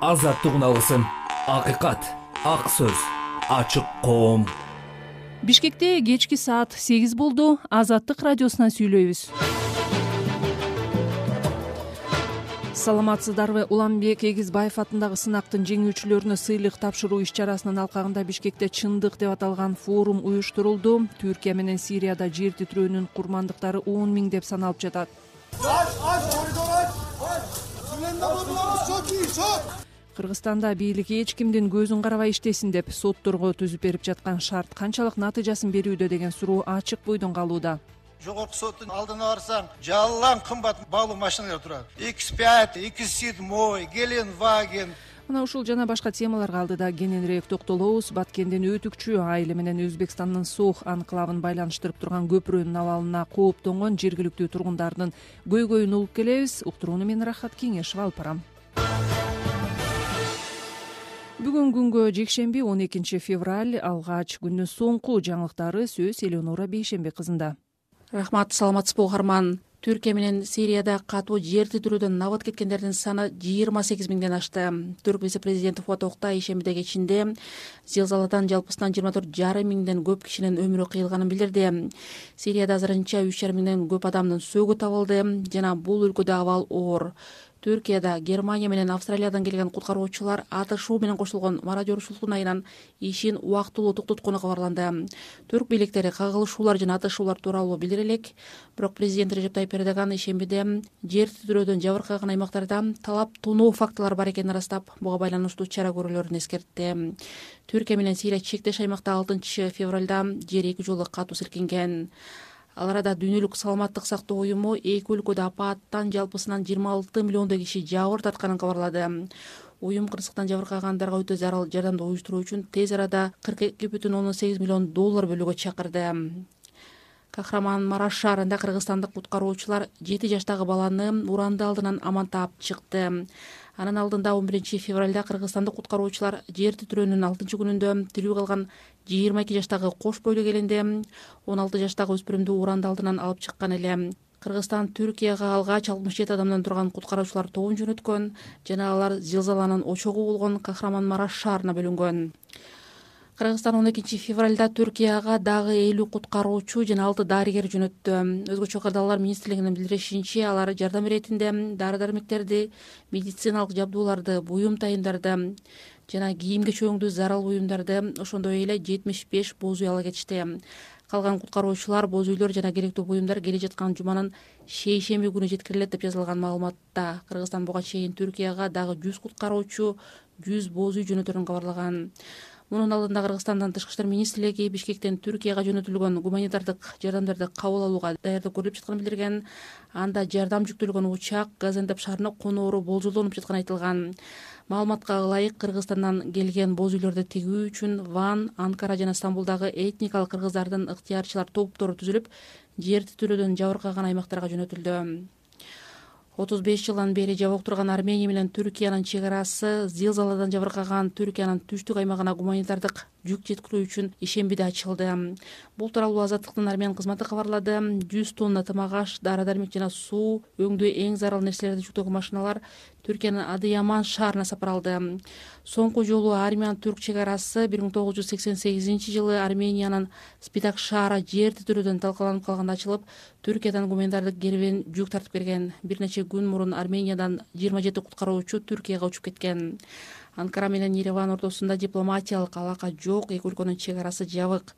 азаттыгын алсын. Акыйкат, ак сөз, ачык коом. Бишкекте кечки саат 8 болду. Азаттык радиосунан сүйлөйбүз. Саламатсыздарбы? Уланбек Эгизбаев атындагы сынактын жеңүүчүлөрүнө сыйлык тапшыруу иш-чарасынын алкагында Бишкекте чындык деп аталган форум уюштурулду. Түркия менен Сирияда жер титирөөнүн курмандыктары 10 миңдеп саналып жатат. Кыргызстанда бийлик эч кимдин көзүн карабай иштесин деп сотторго түзүп берип жаткан шарт канчалык натыйжасын берүүдө деген суроо ачык бойдон калууда. Жогорку соттун алдына барсаң, жалаң кымбат баалуу машиналар турат. X5, X7, Gelenwagen. Мына ушул жана башка темаларга алдыда кененирээк токтолобуз. Баткендин Өтүкчү айылы менен Өзбекстандын Сох анклавын байланыштырып турган көпүрөнүн абалына кооптонгон жергиликтүү тургундардын көйгөйүн угуп келебиз. Уктурууну мен Рахат Кеңешева алып барам. Бүгүн күнгө жекшемби 12 февраль алгач күндүн соңку жаңылыктары сөз Элеонора Бейшембек кызында. Рахмат, саламатсызбы угарман. Түркия менен Сирияда катуу жер титирөөдөн набат кеткендердин саны 28 миңден ашты. Түрк вице-президенти Фуат Октай ишембиде кечинде зилзаладан жалпысынан 24,5 миңден көп кишинин өмүрү кыйылганын билдирди. Сирияда азырынча 3,5 миңден көп адамдын сөөгү табылды жана бул өлкөдө абал оор. Түркияда Германия менен Австралиядан келген куткаруучулар атышуу менен кошулгон мародёрчулуктун айынан ишин убактылуу токтоткону кабарланды. Түрк бийликтери кагылышуулар жана атышуулар тууралуу билдире элек, бирок президент Режеп Тайип Эрдоган ишембиде жер титирөөдөн жабыркаган аймактарда талап туноо фактылары бар экенин ырастап, буга байланыштуу чара көрүүлөрүн эскертти. Түркия менен Сирия чектеш аймакта 6 февралда жер 2 жолу катуу силкинген. Ал арада Дүйнөлүк саламаттык сактоо уюму эки өлкөдө апааттан жалпысынан 26 миллиондой киши жабыр тартканын кабарлады. Уюм кырсыктан жабыркагандарга өтө зарыл жардамды уюштуруу үчүн тез арада $42,8 миллион бөлүүгө чакырды. Кахраман-Мараш шаарында кыргызстандык куткаруучулар 7 жаштагы баланы уранды алдынан аман таап чыкты. Анын алдында 11 февралда кыргызстандык куткаруучулар жер титирөөнүн 6-күнүндө тирүү калган 22 жаштагы кош бойлуу келинди 16 жаштагы өспүрүмдү уранды алдынан алып чыккан эле. Кыргызстан Түркияга алгач 67 адамдан турган куткаруучулар тобун жөнөткөн жана алар зилзаланын очогу болгон Кахраман-Мараш шаарына бөлүнгөн. Кыргызстан 12 февралда Түркияга дагы 50 куткаруучу жана 6 дарыгер жөнөттү. Өзгөчө кырдаалдар министрлигинин билдиришинче, алар жардам иретинде дары-дармектерди, медициналык жабдууларды, буюм тайындарды жана кийим-кечөөңдү зарыл буюмдарды, ошондой эле 75 боз үй ала кетишти. Калган куткаруучулар, боз үйлөр жана керектүү буюмдар келе жаткан жуманын шейшемби күнү жеткирилет деп жазылган маалыматта. Кыргызстан буга чейин Түркияга дагы 100 куткаруучу, 100 боз үй жөнөтөрүн кабарлаган. Мунун алдында Кыргызстандын Тышкы иштер министрлиги Бишкектен Түркияга жөнөтүлгөн гуманитардык жардамдарды кабыл алууга даярдык көрүлүп жатканын билдирген. Анда жардам жүктөлгөн учак Газантеп шаарына коноору болжолдонуп жатканы айтылган. Маалыматка ылайык, Кыргызстандан келген боз үйлөрдү тигүү үчүн Ван, Анкара жана Стамбулдагы этникалык кыргыздардын ыктыярчылар топтору түзүлүп, жер титирөөдөн жабыркаган аймактарга жөнөтүлдү. 35 жылдан бери жабык турган Армения менен Түркиянын чек арасы зилзаладан жабыркаган Түркиянын түштүк аймагына гуманитардык жүк жеткирүү үчүн ишембиде ачылды. Бул тууралуу Азаттыктын армян кызматы кабарлады. 100 тонна тамак-аш, дары-дармек жана суу өңдүү эң зарыл нерселерди жүктөгөн машиналар Түркиянын Адыяман шаарына сапаралды. Соңку жолу армян-түрк чек арасы 1988 жылы Армениянын Спитак шаары жер титирөөдөн талкаланып калганда ачылып, Түркиядан гуманитардык кербен жүк тартып берген. Бир нече күн мурун Армениядан 27 куткаруучу Түркияга учуп кеткен. Анкара менен Ереван ортосунда дипломатиялык алака жок, эки өлкөнүн чек арасы жабык.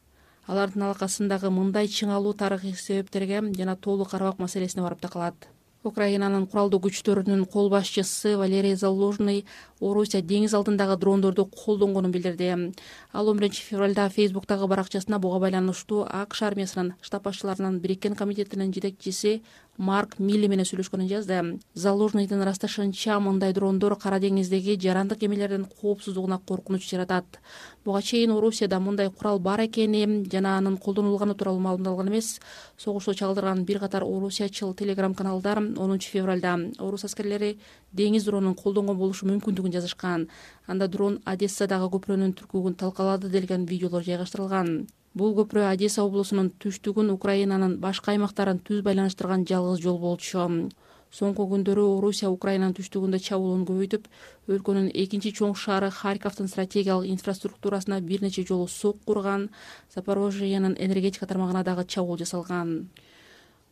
Алардын алакасындагы мындай чыңалуу тарыхый себептерге жана толук карабак маселесине барып такалат. Украинанын куралдуу күчтөрүнүн кол башчысы Валерий Залужный Орусия деңиз алдындагы дрондорду колдонгонун билдирди. Ал 11 февралда Фейсбуктагы баракчасына буга байланыштуу АКШ армиясынын штаб башчыларынын бириккен комитетинин жетекчиси Марк Милли менен сүйлөшкөнүн жазды. Залужныйдын ырасташынча, мындай дрондор Кара деңиздеги жарандык кемелердин коопсуздугуна коркунуч жаратат. Буга чейин Орусияда мындай курал бар экени жана анын колдонулганы тууралуу маалымдалган эмес. Согушта чагдырган бир катар орусиячыл телеграм каналдар 10 февралда орус аскерлери деңиз дронун колдонгон болушу мүмкүндүгүн жазышкан. Анда дрон Одессадагы көпүрөнүн түркүгүн талкалады делген видеолор жайгаштырылган. Бул көпүрө Одесса облусунун түштүгүн Украинанын башка аймактарын түз байланыштырган жалгыз жол болчу. Соңку күндөрү Орусия Украинанын түштүгүндө чабуулун көбөйтүп, өлкөнүн экинчи чоң шаары Харьковдун стратегиялык инфраструктурасына бир нече жолу сокку урган, Запорожьенин энергетика тармагына дагы чабуул жасалган.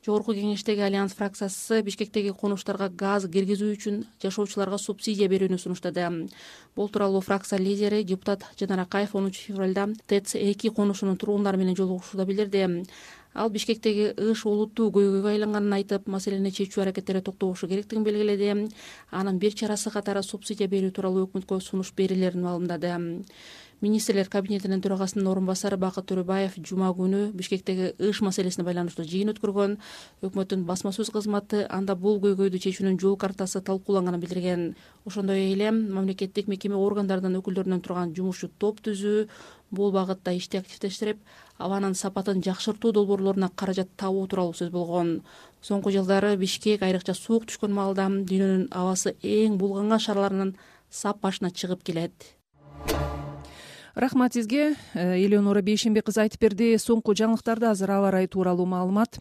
Жогорку кеңештеги Альянс фракциясы Бишкектеги конуштарга газ киргизүү үчүн жашоочуларга субсидия берүүнү сунуштады. Бул тууралуу фракция лидери депутат Жанар Акаев 10 февралда ТЭЦ-2 конушунун тургундары менен жолугушууда билдирди. Ал Бишкектеги ыш олуттуу көйгөйгө айланганын айтып, маселени чечүү аракеттери токтобошу керектигин белгиледи. Анын бир чарасы катары субсидия берүү тууралуу өкмөткө сунуш берилерин маалымдады. Министрлер кабинетинин төрагасынын орун басары Бакыт Төрөбаев жума күнү Бишкектеги ыш маселесине байланыштуу жыйын өткөргөн. Өкмөттүн басма сөз кызматы анда бул көйгөйдү чечүүнүн жол картасы талкууланганын билдирген. Ошондой эле мамлекеттик мекеме органдарынын өкүлдөрүнөн турган жумушчу топ түзүү, бул багытта ишти активдештирип, абанын сапатын жакшыртуу долбоорлоруна каражат табуу тууралуу сөз болгон. Соңку жылдары Бишкек айрыкча суук түшкөн маалда дүйнөнүн абасы эң булганган шаарларынын сап башына чыгып келет. Рахмат сизге. Элеонора Бейшембек кызы айтып берди. Соңку жаңылыктарды азыр аба ырайы тууралуу маалымат.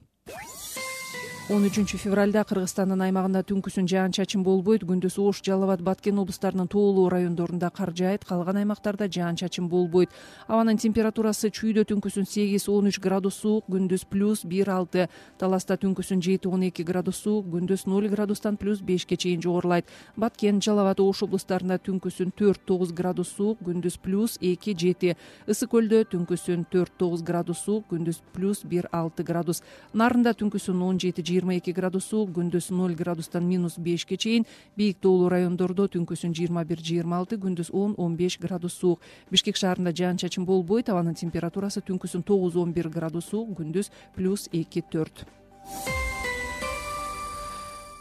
13 февралда Кыргызстандын аймагында түнкүсүн жаан-чачын болбойт. Күндүз Ош, Жалал Абад, Баткен облустарынын тоолуу райондорунда кар жаайт, калган аймактарда жаан-чачын болбойт. Абанын температурасы чүйдө түнкүсүн 8-13 градус суук, күндүз +1-6, Таласта түнкүсүн 7-12 градус суук, күндүз 0 градустан +5 чейин жогорулайт. Баткен, Жалал Абад, Ош облустарында түнкүсүн 4-9 градус суук, күндүз +2-7, Ысык көлдө түнкүсүн 4-9 градус суук, күндүз +1-6 градус, Нарында түнкүсүн 17-22 градус суук, күндүз 0 градустан -5 чейин, бийик тоолуу райондордо түнкүсүн 21-26, күндүз 10-15 градус суук. Бишкек шаарында жаан-чачын болбойт, абанын температурасы түнкүсүн 9-11 градус суук, күндүз +2-4.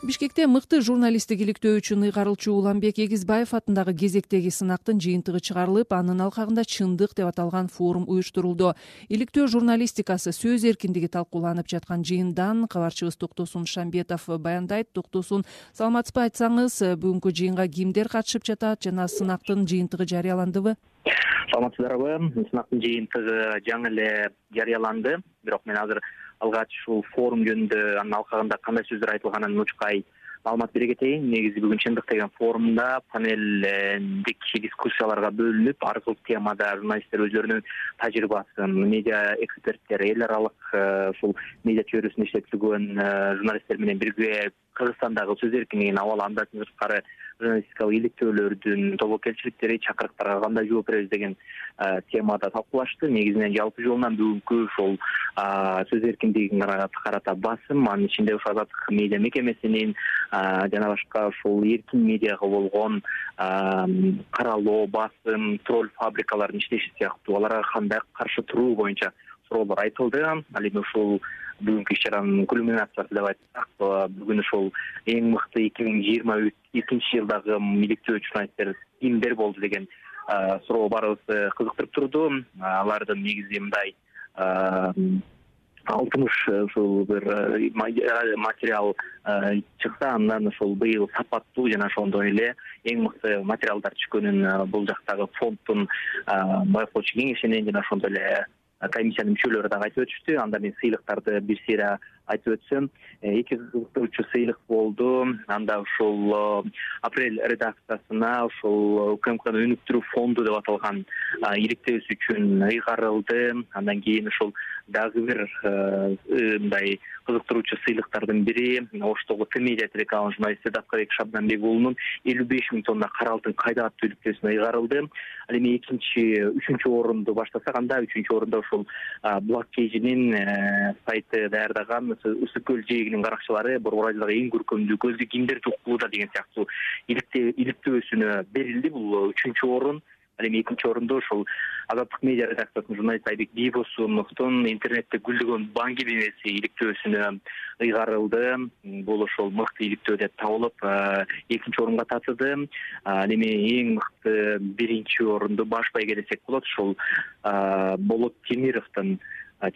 Бишкекте мыкты журналисттик иликтөө үчүн ыйгарылчу Уланбек Эгизбаев атындагы кезектеги сынактын жыйынтыгы чыгарылып, анын алкагында чындык деп аталган форум уюштурулду. Иликтөө журналистикасы, сөз эркиндиги талкууланып жаткан жыйындан кабарчыбыз Токтосун Шамбетов баяндайт. Токтосун, саламатсызбы, айтсаңыз, бүгүнкү жыйынга кимдер катышып жатат жана сынактын жыйынтыгы жарыяландыбы? Саламатсыздарбы? Сынактын жыйынтыгы жаңы эле жарыяланды. Бирок мен азыр алгач ушул форум жөнүндө, анын алкагында кандай сөздөр айтылганын мучкай маалымат бере кетейин. Негизи бүгүн чындык деген форумда панелдик дискуссияларга бөлүнүп, ар кыл темада журналисттер өздөрүнүн тажрыйбасын, медиа эксперттер, эл аралык ушул медиа чөйрөсүндө иштеп жүргөн журналисттер менен бирге Кыргызстандагы сөз эркиндигин абалы, андан сырткары журналистикалык иликтөөлөрдүн тобокелчиликтери, чакырыктарга кандай жооп беребиз деген темада талкуулашты. Негизинен жалпы жолунан бүгүнкү ушул сөз эркиндигине карата басым, анын ичинде ушул Азаттык медиа мекемесинин жана башка ушул эркин медиага болгон каралоо, басым, тролль фабрикалардын иштеши сыяктуу аларга кандай каршы туруу боюнча суроолор айтылды. Ал эми ушул бүгүнкү иш-чаранын кульминациясы деп айтсак, бүгүн ушул эң мыкты 2022 жылдагы иликтөө журналисттер кимдер болду деген суроо баарыбызды кызыктырып турду. Алардын негизи мындай 60 ушул бир материал чыкса, андан ушул быйыл сапаттуу жана ошондой эле эң мыкты материалдар чыккөнүн бул жактагы фонддун байкоочу кеңешинин жана ошондой эле комиссиянын мүчөлөрү дагы айтып өтүштү. Анда мен сыйлыктарды бир сыйра айтып өтсөм, 2 кызыктыруучу сыйлык болду. Анда ушул апрель редакциясына ушул УКМКнын өнүктүрүү фонду деп аталган иликтөөсү үчүн ыйгарылды. Андан кийин ушул дагы бир мындай кызыктыруучу сыйлыктардын бири Оштогу Т-медиа телеканалынын журналисти Даткарбек Шабданбек уулунун 55 000 тонна кара алтын кайда аттуу иликтөөсүнө ыйгарылды. Ал эми үчүнчү орунду баштасак, анда 3-чү орунда ушул Булак Кейжинин сайты даярдаган Ысык көл жээгинин каракчылары Борбор Айылдагы эң көркөмдүү көздү кимдер жуккууда деген сыяктуу иликтөөсүнө берилди. Бул 3-чү орун. Ал эми 2-нчи орунда ушул Азаттык медиа редакциясынын журналисти Айбек Бийбосуновдун интернетте гүлдөгөн Баң кебемеси иликтөөсүнө ыйгарылды. Бул ошол мыкты иликтөө деп табылып, 2-нчи орунга татыды. Ал эми эң мыкты 1-нчи орунду баш байге десек болот, ушул Болот Темировдун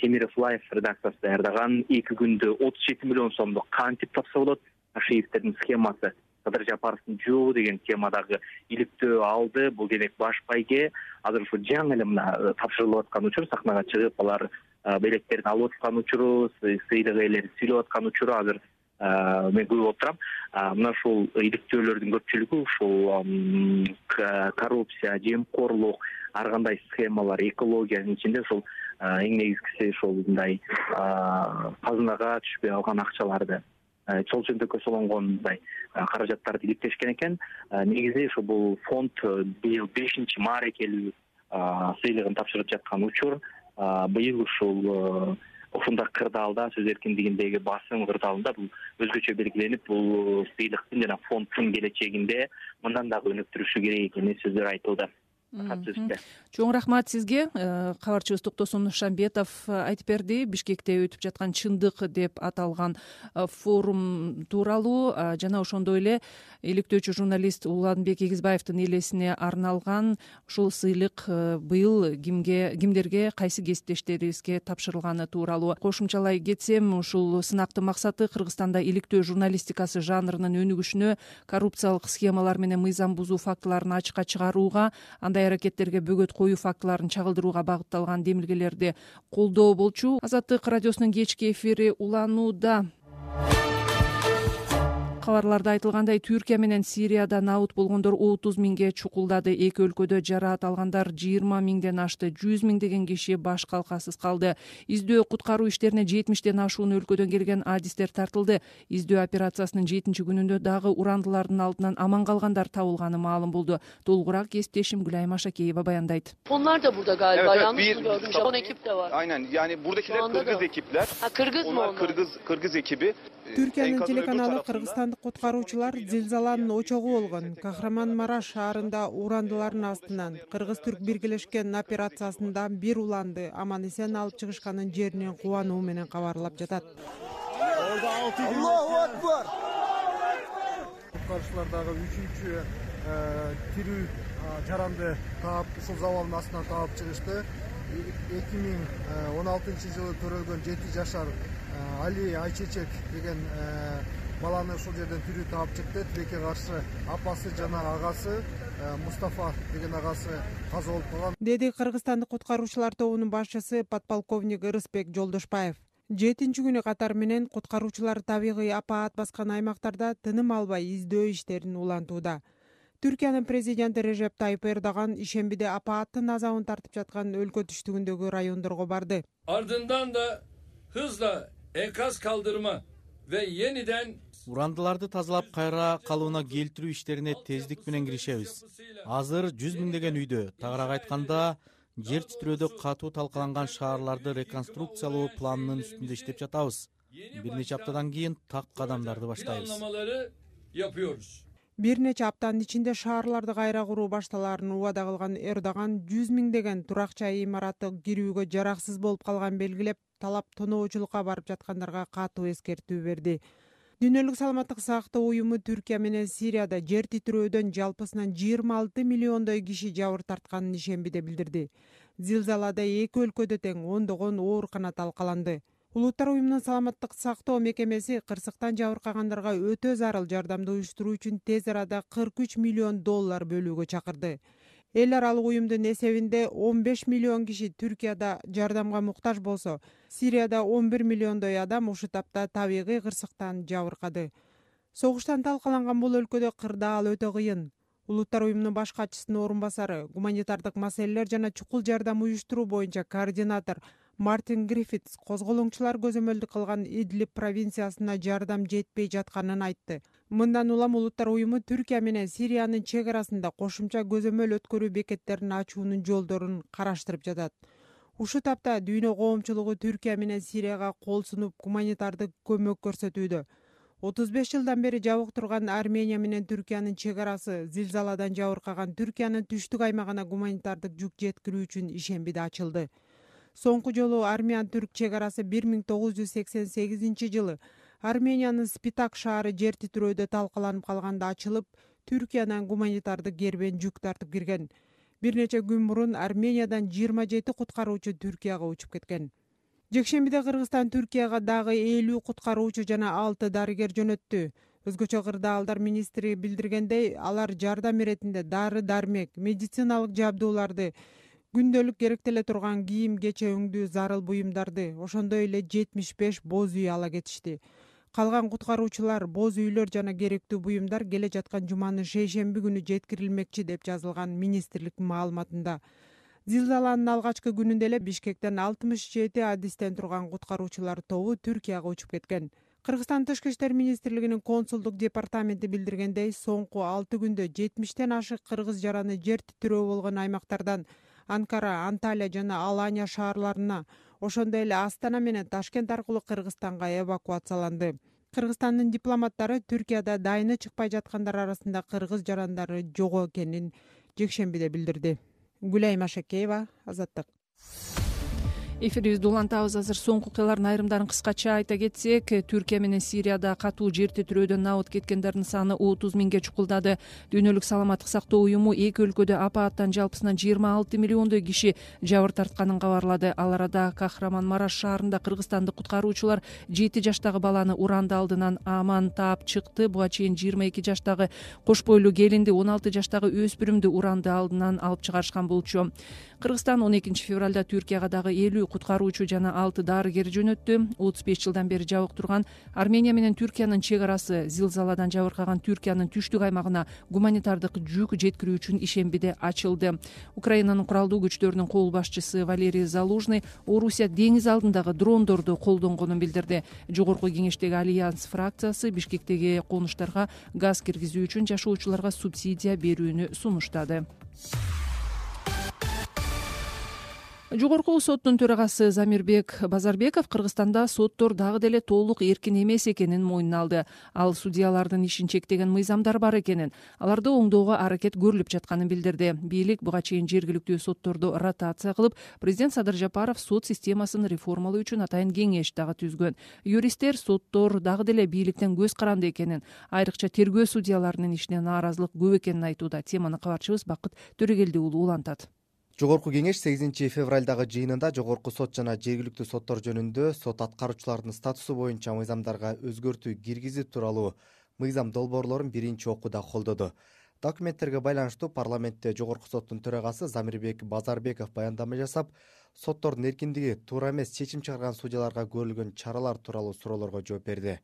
Темиров Лайф редакциясы даярдаган 2 күндө 37 миллион сомдук кантип тапса болот, Ашиевтердин схемасы, Кадыр Жапаровдун жообу деген темадагы иликтөө алды. Бул демек баш байге азыр ушу жаңы эле мына тапшырылып аткан учур, сахнага чыгып алар белектерин алып аткан учуру, сыйлык ээлери сүйлөп аткан учуру азыр мен көрүп отурам. Мына ушул иликтөөлөрдүн көпчүлүгү ушул коррупция, жемкорлук, ар кандай схемалар, экологиянын ичинде ушул эң негизгиси ушул мындай казынага түшпөй калган акчаларды чол чөнтөккө солонгон мындай каражаттарды иликтешкен экен. Негизи ушу бул фонд быйыл 5 маарекелүү сыйлыгын тапшырып жаткан учур. Быйыл ушул ушундай кырдаалда, сөз эркиндигиндеги басым кырдаалында бул өзгөчө белгиленип, бул сыйлыктын жана фонддун келечегинде мындан дагы өнүктүрүшү керек экени сөздөр айтылды. Чоң рахмат сизге. Кабарчыбыз Токтосун Нуршамбетов айтып берди. Бишкекте өтүп жаткан чындык деп аталган форум тууралуу жана ошондой эле иликтөөчү журналист Уланбек Эгизбаевдин элесине арналган ушул сыйлык быйыл кимдерге, кайсы кесиптештерибизге тапшырылганы тууралуу. Кошумчалай кетсем, ушул сынактын максаты Кыргызстанда иликтөө журналистикасы жанрынын өнүгүшүнө, коррупциялык схемалар менен мыйзам бузуу фактыларын ачыкка чыгарууга, андай аракеттерге бөгөт коюу фактыларын чагылдырууга багытталган демилгелерди колдоо болчу. Азаттык радиосунун кечки эфири уланууда. Кабарларда айтылгандай, Түркия менен Сирияда набыт болгондор 30 миңге чукулдады. Эки өлкөдө жараат алгандар 20 миңден ашты. 100 миңдеген киши баш калкасыз калды. Издөө куткаруу иштерине 70тен ашуун өлкөдөн келген адистер тартылды. Издөө операциясынын 7-күнүндө дагы урандылардын алдынан аман калгандар табылганы маалым болду. Толугураак кесиптешим Гүлайым Ашакеева баяндайт. Onlar da burada galiba. Yanlış mı gördüm? Japon ekip de var. Aynen, yani buradakiler Kırgız ekipler. Kırgız mı onlar? Kırgız ekibi. Түркиянын телеканалы кыргызстандык куткаруучулар зилзаланын очогу болгон Кахраман-Мараш шаарында урандылардын астынан кыргыз-түрк биргелешкен операциясында бир уланды аман-эсен алып чыгышканын жеринен кубануу менен кабарлап жатат. Аллаху акбар. Куткаруучулар дагы 3-чү тирүү жаранды таап, ушул завалдын астынан таап чыгышты. 2016-жылы төрөлгөн 7 жашар Али Айчечек деген баланы ушул жерден тирүү таап чыкты. Тилекке каршы апасы жана агасы Мустафа деген агасы каза болуп калган, деди кыргызстандык куткаруучулар тобунун башчысы подполковник Ырысбек Жолдошбаев. 7-күнү катары менен куткаруучулар табигый апаат баскан аймактарда тыным албай издөө иштерин улантууда. Түркиянын президенти Режеп Тайып Эрдоган ишембиде апааттын азабын тартып жаткан өлкө түштүгүндөгү райондорго барды. Ardından da hızla enkaz kaldırma ve yeniden урандыларды тазалап кайра калууна келтирүү иштерине тездик менен киришебиз. Азыр 100 миңдеген үйдө, тагыраак айтканда, жер титирөөдө катуу талкаланган шаарларды реконструкциялоо планынын үстүндө иштеп жатабыз. Бир нече аптадан кийин так кадамдарды баштайбыз. Бир нече аптанын ичинде шаарларды кайра куруу башталаарын убада кылган Эрдоган 100 миңдеген турак-жай имараты кирүүгө жараксыз болуп калганын белгилеп, талап тоноочулукка барып жаткандарга катуу эскертүү берди. Дүйнөлүк саламаттык сактоо уюму Түркия менен Сирияда жер титирөөдөн жалпысынан 26 миллиондой киши жабыр тартканын ишембиде билдирди. Зилзалада эки өлкөдө тең ондогон оорукана талкаланды. Улуттар уюмунун саламаттык сактоо мекемеси кырсыктан жабыркагандарга өтө зарыл жардамды уюштуруу үчүн тез арада $43 миллион бөлүүгө чакырды. Эл аралык уюмдун эсебинде 15 миллион киши Түркияда жардамга муктаж болсо, Сирияда 11 миллиондой адам ушул тапта табигый кырсыктан жабыркады. Согуштан талкаланган бул өлкөдө кырдаал өтө кыйын. Улуттар уюмунун баш катчысынын орун басары, гуманитардык маселелер жана чукул жардам уюштуруу боюнча координатор Мартин Гриффитс козголоңчулар көзөмөлдүк кылган Идлиб провинциясына жардам жетпей жатканын айтты. Мындан улам улуттар уюму Түркия менен Сириянын чек арасында кошумча көзөмөл өткөрүү бекеттерин ачуунун жолдорун караштырып жатат. Ушул тапта дүйнө коомчулугу Түркия менен Сирияга кол сунуп гуманитардык көмөк көрсөтүүдө. 35 жылдан бери жабык турган Армения менен Түркиянын чек арасы зилзаладан жабыркаган Түркиянын түштүк аймагына гуманитардык жүк жеткирүү үчүн ишембиде ачылды. Соңку жолу Армян-Түрк чек арасы 1988 жылы Армениянын Спитак шаары жер титирөөдө талкаланып калганда ачылып, Түркиянан гуманитардык кербен жүк тартып кирген. Бир нече күн мурун Армениядан 27 куткаруучу Түркияга учуп кеткен. Жекшембиде Кыргызстан Түркияга дагы 50 куткаруучу жана 6 дарыгер жөнөттү. Өзгөчө кырдаалдар министри билдиргендей, алар жардам иретинде дары-дармек, медициналык жабдууларды, күндөлүк керектеле турган кийим, кече өңдүү зарыл буюмдарды, ошондой эле 75 боз үй ала кетишти. Калган куткаруучулар, боз үйлөр жана керектүү буюмдар келе жаткан жуманын шейшемби күнү жеткирилмекчи деп жазылган министрлик маалыматында. Зилзаланын алгачкы күнүндө эле Бишкектен 67 адистен турган куткаруучулар тобу Түркияга учуп кеткен. Кыргызстан Тышкы иштер министрлигинин консулдук департаменти билдиргендей, соңку 6 күндө 70тен ашык кыргыз жараны жер титирөө болгон аймактардан Анкара, Анталия жана Алания шаарларына, ошондой эле Астана менен Ташкент аркылуу Кыргызстанга эвакуацияланды. Кыргызстандын дипломаттары Түркияда дайыны чыкпай жаткандар арасында кыргыз жарандары жок экенин жекшембиде билдирди. Гүлайым Ашакеева, Азаттык. Эфирибизди улантабыз. Азыр соңку окуялардын айрымдарын кыскача айта кетсек, Түркия менен Сирияда катуу жер титирөөдөн набыт кеткендердин саны 30 миңге чукулдады. Дүйнөлүк саламаттык сактоо уюму эки өлкөдө апааттан жалпысынан 26 миллиондой киши жабыр тартканын кабарлады. Ал арада Кахраман-Мараш шаарында кыргызстандык куткаруучулар 7 жаштагы баланы уранды алдынан аман таап чыкты. Буга чейин 22 жаштагы кош бойлуу келинди, 16 жаштагы өспүрүмдү уранды алдынан алып чыгарышкан болчу. Кыргызстан 12 февралда Түркияга дагы 50 куткаруучу жана 6 дарыгер жөнөттү. 35 жылдан бери жабык турган Армения менен Түркиянын чек арасы зилзаладан жабыркаган Түркиянын түштүк аймагына гуманитардык жүк жеткирүү үчүн ишембиде ачылды. Украинанын куралдуу күчтөрүнүн кол башчысы Валерий Залужный Орусия деңиз алдындагы дрондорду колдонгонун билдирди. Жогорку кеңештеги Альянс фракциясы Бишкектеги конуштарга газ киргизүү үчүн жашоочуларга субсидия берүүнү сунуштады. Жогорку соттун төрагасы Замирбек Базарбеков Кыргызстанда соттор дагы деле толук эркин эмес экенин мойнуна алды. Ал судьялардын ишин чектеген мыйзамдар бар экенин, аларды оңдоого аракет көрүлүп жатканын билдирди. Бийлик буга чейин жергиликтүү сотторду ротация кылып, президент Садыр Жапаров сот системасын реформалоо үчүн атайын кеңеш дагы түзгөн. Юристтер соттор дагы деле бийликтен көз каранды экенин, айрыкча тергөө судьяларынын ишине нааразылык көп экенин айтууда. Теманы кабарчыбыз Бакыт Төрөгелди уулу улантат. Жогорку кеңеш 8 февралдагы жыйынында жогорку сот жана жергиликтүү соттор жөнүндө сот аткаруучулардын статусу боюнча мыйзамдарга өзгөртүү киргизүү тууралуу мыйзам долбоорлорун биринчи окууда колдоду. Документтерге байланыштуу парламентте жогорку соттун төрагасы Замирбек Базарбеков баяндама жасап, соттордун эркиндиги, туура эмес чечим чыгарган судьяларга көрүлгөн чаралар тууралуу суроолорго жооп берди.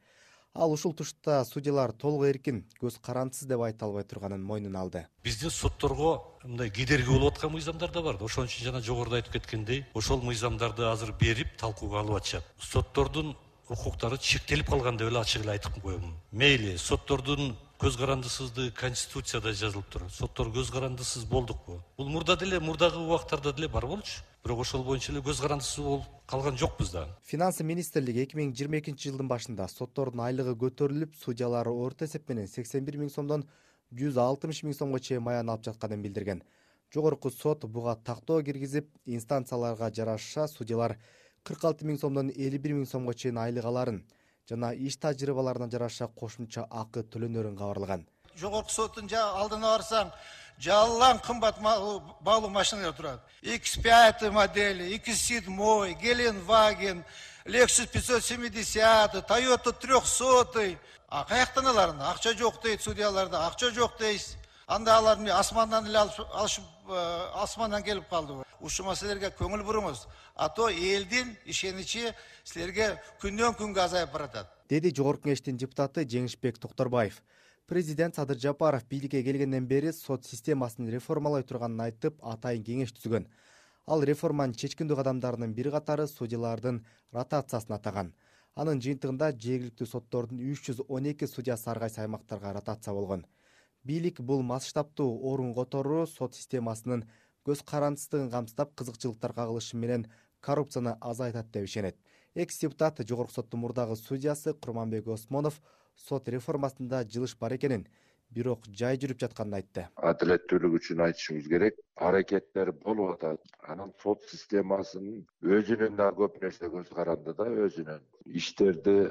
Ал ушул тушта судьялар толук эркин, көз карандысыз деп айта албай турганын мойнуна алды. Биздин сотторго мындай кедерги болуп аткан мыйзамдар да бар. Ошон үчүн жана жогоруда айтып кеткендей, ошол мыйзамдарды азыр берип талкууга алып атышат. Соттордун укуктары чектелип калган деп эле ачык эле айтып коеюн. Мейли, соттордун көз карандысыздыгы Конституцияда жазылып тур. Соттор көз карандысыз болдукпу? Бул мурдагы убактарда деле бар болчу. Бирок ошол боюнча эле көз карандысыз болуп калган жокпуз да. Финансы министрлиги 2022 жылдын башында соттордун айлыгы көтөрүлүп, судьялары орто эсеп менен 81 миң сомдон 160 миң сомго чейин маян алып жатканын билдирген. Жогорку сот буга тактоо киргизип, инстанцияларга жараша судьялар 46 миң сомдон 51 миң сомго чейин айлык аларын жана иш тажрыйбаларына жараша кошумча акы төлөнөрүн кабарлаган. Жогорку соттун алдына барсаң, жалаң кымбат баалуу машиналар турат. X5 модели, X7, Gelenwagen, Lexus 570, Toyota 300. Каяктан аларын? Акча жок дейт судьяларда, акча жок дейсиз. Анда аларды асмандан эле алышып, асмандан келип калды. Ушул маселелерге көңүл буруңуз. А то элдин ишеничи силерге күндөн күнгө азайып баратат. Деди жогорку кеңештин депутаты Жеңишбек Токторбаев. Президент Садыр Жапаров бийликке келгенден бери сот системасын реформалай турганын айтып, атайын кеңеш түзгөн. Ал реформанын чечкиндүү кадамдарынын бир катары судьялардын ротациясын атаган. Анын жыйынтыгында жергиликтүү соттордун 312 судьясы ар кайсы аймактарга ротация болгон. Бийлик бул масштабтуу орун которуу сот системасынын көз карандысыздыгын камсыздап, кызыкчылыктар кагылышы менен коррупцияны азайтат деп ишенет. Экс-депутат жогорку соттун мурдагы судьясы Курманбек Осмонов сот реформасында жылыш бар экенин, бирок жай жүрүп жатканын айтты. Адилеттүүлүк үчүн айтышыбыз керек. Аракеттер болуп атат. Анын сот системасынын өзүнүн да көп нерсе көз каранды да, өзүнүн иштерди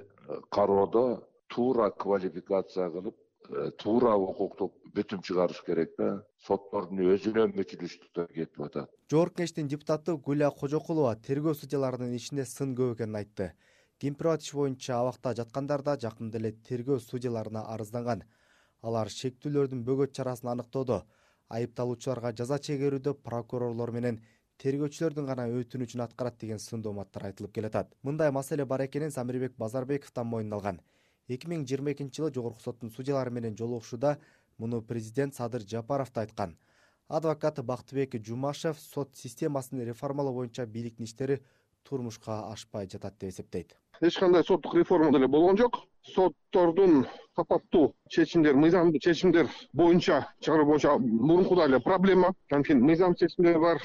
кароодо туура квалификация кылып, туура укуктук бүтүм чыгарыш керек да. Соттордун өзүнөн мүчүлүштүктөр кетип атат. Жогорку кеңештин депутаты Гүлия Кожокулова тергөө судьяларынын ишинде сын көп экенин айтты. Кемпирбат иши боюнча абакта жаткандар да жакында эле тергөө судьяларына арызданган. Алар шектүүлөрдүн бөгөт чарасын аныктоодо, айыпталуучуларга жаза чегерүүдө прокурорлор менен тергөөчүлөрдүн гана өтүнүчүн аткарат деген сын дооматтар айтылып келатат. Мындай маселе бар экенин Замирбек Базарбековдон мойнуна алган. 2022 жылы Жогорку соттун судьялары менен жолугушууда муну президент Садыр Жапаров да айткан. Адвокат Бактыбек Жумашев сот системасын реформалоо боюнча бийликтин иштери турмушка ашпай жатат деп эсептейт. Эч кандай соттук реформа деле болгон жок. Соттордун сапаттуу чечимдер, мыйзамдуу чечимдер боюнча чыгаруу боюнча мурункудай эле проблема. Анткени мыйзам чечимдер бар,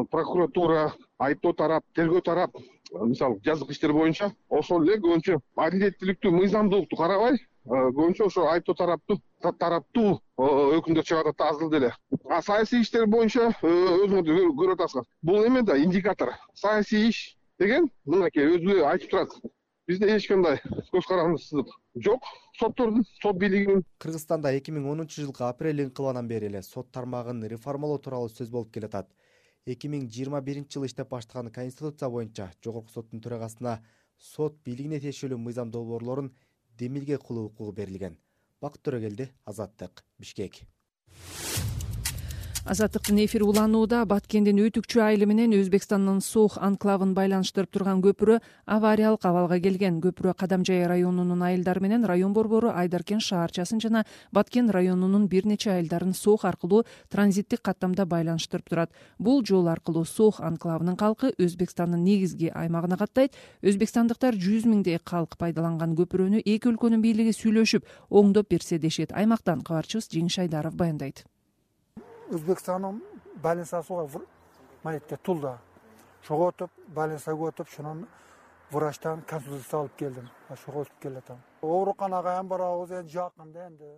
прокуратура, айыптоо тарап, тергөө тарап, мисалы жазык иштер боюнча ошол эле көбүнчө адилеттүүлүктү, мыйзамдуулукту карабай, көбүнчө ошо айыптоо тараптуу өкүмдөр чыгарат азыр деле. Саясий иштер боюнча өзүңөр көрүп атасыздар. Бул эме да индикатор. Саясий иш деген мынакей өзү айтып турат. Бизде эч кандай көз карандысыздык жок. Соттордун, сот бийлигинин. Кыргызстанда 2010 жылкы апрель инкылабынан бери эле сот тармагын реформалоо тууралуу сөз болуп келатат. 2021 жылы иштеп баштаган Конституция боюнча Жогорку соттун төрагасына сот бийлигине тиешелүү мыйзам долбоорлорун демилге кылуу укугу берилген. Бакыт Төрөгелди, Азаттык, Бишкек. Азаттыктын эфири уланууда. Баткендин Өтүкчү айылы менен Өзбекстандын Сох анклавын байланыштырып турган көпүрө авариялык абалга келген. Көпүрө Кадамжай районунун айылдары менен район борбору Айдаркен шаарчасын жана Баткен районунун бир нече айылдарын Сох аркылуу транзиттик каттамда байланыштырып турат. Бул жол аркылуу Сох анклавынын калкы Өзбекстандын негизги аймагына каттайт. Өзбекстандыктар 100 миңдей калк пайдаланган көпүрөнү эки өлкөнүн бийлиги сүйлөшүп, оңдоп берсе дешет. Аймактан кабарчыбыз Жеңиш Айдаров баяндайт. Өзбекстанның байланысуға мәлетте тұлда. Шоға өтіп, байланысуға өтіп, шынан врачтан консультация алып келдім. Шоға өтіп келетім. Ооруканаға ен бар ауыз, ен жақында енді.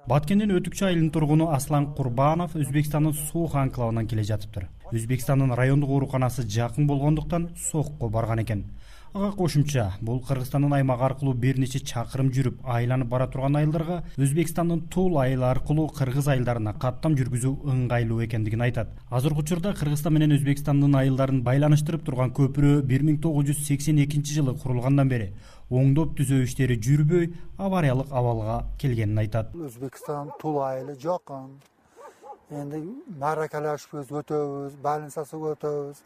Баткендин Өтүкчү айылынын тургуну Аслан Курбанов Өзбекстандын Сох анклавынан келе жатыптыр. Өзбекстандын райондук ооруканасы жакын болгондуктан Сохко барган экен. Ага кошумча, бул Кыргызстандын аймагы аркылуу бир нече чакырым жүрүп айланып бара турган айылдарга Өзбекстандын Тул айылы аркылуу кыргыз айылдарына каттам жүргүзүү ыңгайлуу экендигин айтат. Азыркы учурда Кыргызстан менен Өзбекстандын айылдарын байланыштырып турган көпүрө 1982 жылы курулгандан бери оңдоп түзөө иштери жүрбөй, авариялык абалга келгенин айтат. Өзбекстан Тул айылы жакын. Энди маракалашып өтөбүз, байланысасып өтөбүз,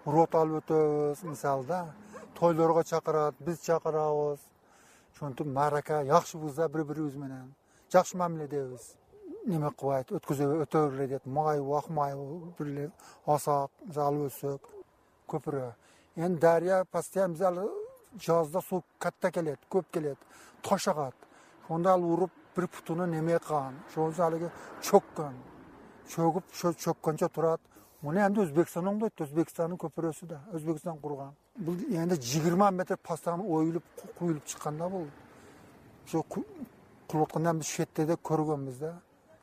рот алып өтөбүз, мисалда тойлорго чакырат, биз чакырабыз. Ошентип марака жакшыбызда бири-бирибиз менен жакшы мамиледебиз. Неме кылбайт, өтөбүрлөр дейт, майы, акмайы, бирлер асак, алып өтсөк, көпүрө. Эми дария постоянно биз жазда суу катта келет, көп келет, таш агат. Ошондо ал уруп бир путуну неме кылган. Ошондо алыгы чөккөн. Чөгүп, чөккөнчө турат. Муну эми Өзбекстан оңдойт, Өзбекстандын көпүрөсү да, Өзбекстан курган. Бул эми 20 метр постоянно оюлуп, куюлуп чыкканда бул. Ошо кылып аткандан биз шетте көргөнбүз да.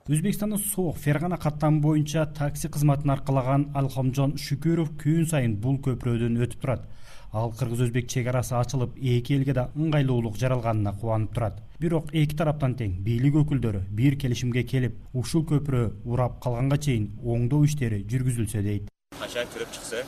Өзбекстандын Сох Фергана каттамы боюнча такси кызматын аркалаган Алхамжон Шүкүров күн сайын бул көпүрөдөн өтүп турат. Ал кыргыз-өзбек чек арасы ачылып, эки элге да ыңгайлуулук жаралганына кубанып турат. Бирок эки тараптан тең бийлик өкүлдөрү бир келишимге келип, ушул көпүрө урап калганга чейин оңдоо иштери жүргүзүлсө дейт. Качан кирип чыкса,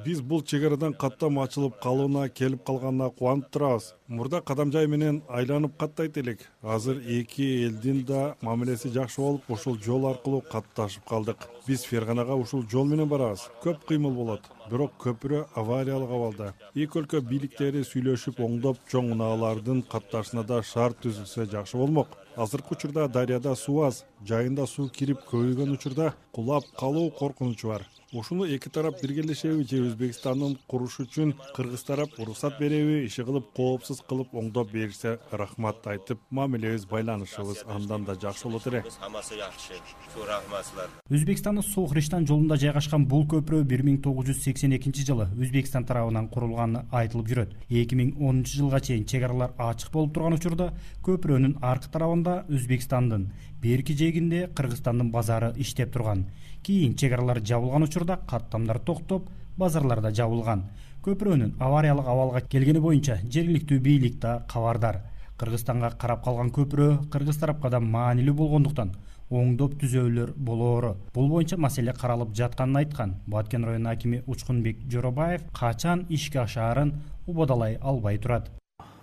биз бул чек арадан каттам ачылып калууна келип калганына кубанып турабыз. Мурда Кадамжай менен айланып каттайт элек. Азыр эки элдин да мамилеси жакшы болуп, ушул жол аркылуу катташып калдык. Биз Ферганага ушул жол менен барабыз. Көп кыймыл болот. Бирок көпүрө авариялык абалда. Эки өлкө бийликтери сүйлөшүп, оңдоп, чоң унаалардын катташына да шарт түзүлсө жакшы болмок. Азыркы учурда дарыяда суу аз, жайында суу кирип көбөйгөн учурда кулап калуу коркунучу бар. Ушуну эки тарап биргелешеби же Өзбекстандын куруш үчүн кыргыз тарап уруксат береби, иши кылып коопсуз кылып оңдоп берсе рахмат айтып, мамилебиз, байланышыбыз андан да жакшы болот эле. Хамасы жакшы. Чоң рахматлар. Өзбекстандын Сох-Риштан жолунда жайгашкан бул көпүрө 1982 жылы Өзбекстан тарабынан курулганы айтылып жүрөт. 2010 жылга чейин чек аралар ачык болуп турган учурда көпүрөнүн аркы тарабында Өзбекстандын, берки жээгинде Кыргызстандын базары иштеп турган. Кийин чек аралар жабылган учурда каттамдар токтоп, базарларда жабылган. Көпүрөнүн авариялык абалга келгени боюнча жергиликтүү бийлик да кабардар. Кыргызстанга карап калган көпүрө кыргыз тарапка да маанилүү болгондуктан оңдоп түзөөлөр болоору. Бул боюнча маселе каралып жатканын айткан Баткен районунун акими Учкунбек Жоробаев качан ишке ашаарын убадалай албай турат.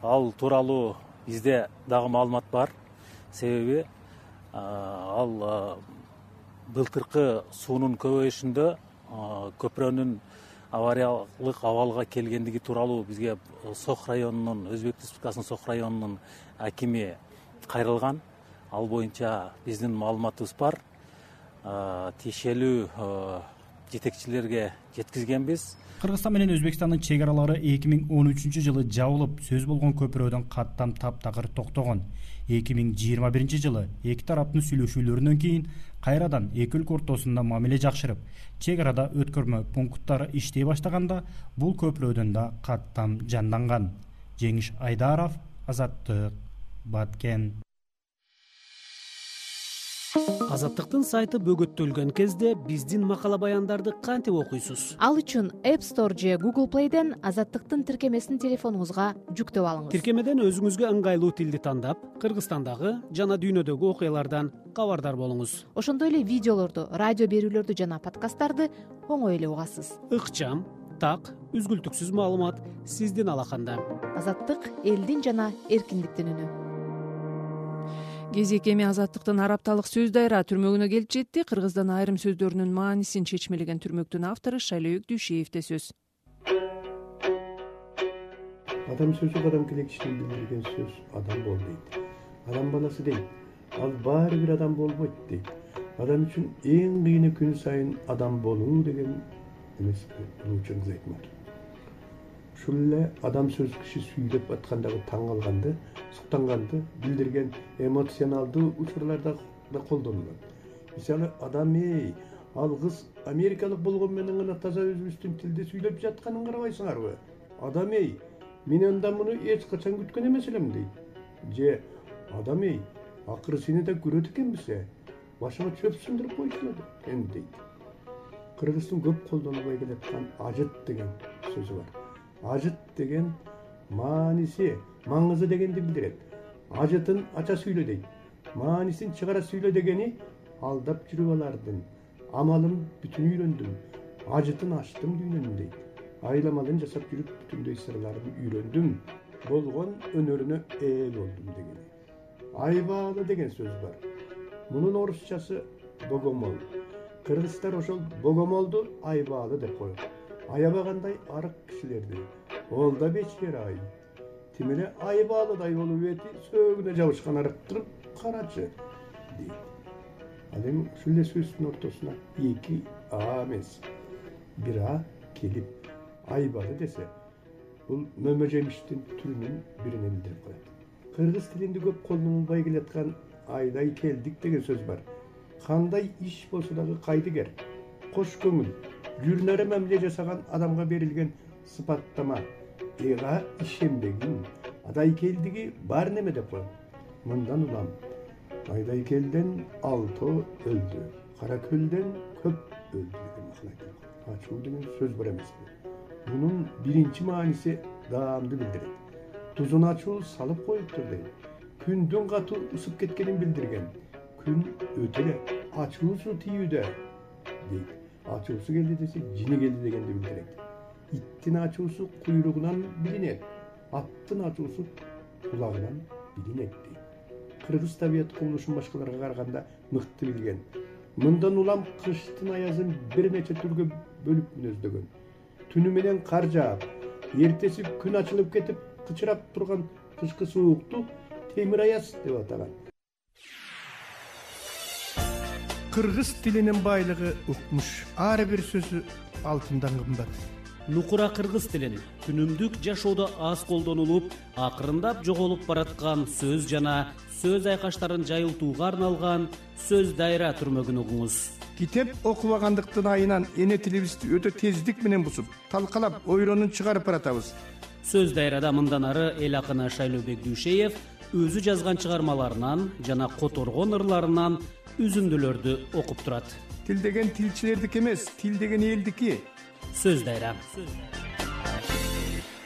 Ал тууралуу бизде дагы маалымат бар. Себеби ал былтыркы суунун көбөйүшүндө көпүрөнүн авариялык абалга келгендиги тууралуу бизге Сох районунун, Өзбек Республикасынын Сох районунун акими кайрылган. Ал боюнча биздин маалыматыбыз бар. Тиешелүү жетекчилерге жеткизгенбиз. Кыргызстан менен Өзбекстандын чек аралары 2013-жылы жабылып, сөз болгон көпүрөдөн каттам таптакыр токтогон. 2021-жылы эки тараптын сүйлөшүүлөрүнөн кийин кайрадан эки өлкө ортосунда мамиле жакшырып, чек арада өткөрмө пункттары иштей баштаганда бул көпүрөдөн да каттам жанданган. Жеңиш Айдаров, Азаттык, Баткен. Азаттыктын сайты бөгөттөлгөн кезде биздин макала баяндарды кантип окуйсуз? Ал үчүн App Store же Google Play'ден Азаттыктын тиркемесин телефонуңузга жүктөп алыңыз. Тиркемеден өзүңүзгө ыңгайлуу тилди тандап, Кыргызстандагы жана дүйнөдөгү окуялардан кабардар болуңуз. Ошондой эле видеолорду, радио берүүлөрдү жана подкасттарды оңой эле угасыз. Ыкчам, так, үзгүлтүксүз маалымат сиздин алаканда. Азаттык элдин жана эркиндиктин үнү. Кезек эми Азаттыктын арапталык сөз дайра түрмөгүнө келип жетти. Кыргыздан айрым сөздөрүнүн маанисин чечмелеген түрмөктүн автору Шайлөөк Дүйшеевде сөз. Адам сөзү адам килекчилигин билдирген сөз адам бол дейт. Адам баласы дейт. Ал баары бир адам болбойт дейт. Адам үчүн эң кыйыны күн сайын адам болуу деген эмеспи? Улуучун Айтматов. Ушул эле адам сөз киши сүйлөп аткандагы таң калганды, суктанганды билдирген эмоционалдуу учурларда да колдонулат. Мисалы, адам ал кыз америкалык болгон менен гана таза өзүбүздүн тилде сүйлөп жатканын карабайсыңарбы? Адам мен андан муну эч качан күткөн эмес элем дейт. Же адам акыры сени да көрөт экенбиз, башыңа чөп сындырып койчу экен дейт. Кыргыздын көп колдонулбай келаткан ажыт деген сөзү бар. Ажыт деген мааниси, маңызы дегенди билдирет. Ажытын ача сүйлө дейт. Маанисин чыгара сүйлө дегени алдап жүрүп алардын. Амалын бүтүн үйрөндүм. Ажытын ачтым дүйнөнүн дейт. Айламалын жасап жүрүп бүтүндөй сырларын үйрөндүм. Болгон өнөрүнө ээ болдум дегени. Айбаалы деген сөз бар. Мунун орусчасы богомол. Кыргыздар ошол богомолду айбаалы деп коет. Аябагандай арык кишилерди. Ол да бечер ай. Тимеле айбалыдай болуп эти сөөгүнө жабышкан арыктырып карачы дейт. Ал эми ушул эле сөздүн ортосуна эки а эмес, бир а келип айбалы десе, бул мөмө жемиштин түрүнүн бирине билдирип коет. Кыргыз тилинде көп колдонулбай келаткан айдай келдик деген сөз бар. Кандай иш болсо дагы кайдыгер, кош көңүл, жүрнөрө мамиле жасаган адамга берилген сыпаттама. Эга ишенбегин, адайкелдиги бар неме деп коет. Мындан улам Айдайкелден 6 өлдү, Каракөлден көп өлдү деген макал айтылат. Ачуу деген сөз бар эмеспи? Мунун биринчи мааниси даамды билдирет. Тузун ачуу салып коюптур дейт. Күндүн катуу ысып кеткенин билдирген. Күн өтө эле ачуусу тийүүдө дейт. Ачуусу келди десе, жини келди дегенди билдирет. Иттин ачуусу куйругунан билинет. Аттын ачуусу кулагынан билинет дейт. Кыргыз табият кубулушун башкаларга караганда мыкты билген. Мындан улам кыштын аязын бир нече түргө бөлүп мүнөздөгөн. Түнү менен кар жаап, эртеси күн ачылып кетип, кычырап турган кышкы суукту темир аяз деп атаган. Кыргыз тилинин байлыгы укмуш. Ар бир сөзү алтындан кымбат. Нукура кыргыз тилин күнүмдүк жашоодо аз колдонулуп, акырындап жоголуп бараткан сөз жана сөз айкаштарын жайылтууга арналган сөз дайра түрмөгүн угуңуз. Китеп окубагандыктын айынан эне тилибизди өтө тездик менен бусуп, талкалап, ойронун чыгарып баратабыз. Сөз дайрада мындан ары эл акыны Шайлөөбек Дүйшеев өзү жазган чыгармаларынан жана которгон ырларынан үзүндүлөрдү окуп турат. Тил деген тилчилердики эмес, тил деген элдики. Сөз дайра.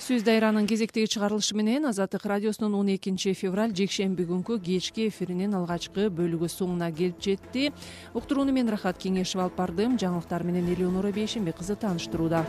Сөз дайранын кезектеги чыгарылышы менен Азаттык радиосунун 12 февраль жекшемби күнкү кечки эфиринин алгачкы бөлүгү соңуна келип жетти. Уктурууну мен Рахат Кеңешев алып бардым. Жаңылыктар менен Элеонора Бейшенбек кызы тааныштырууда.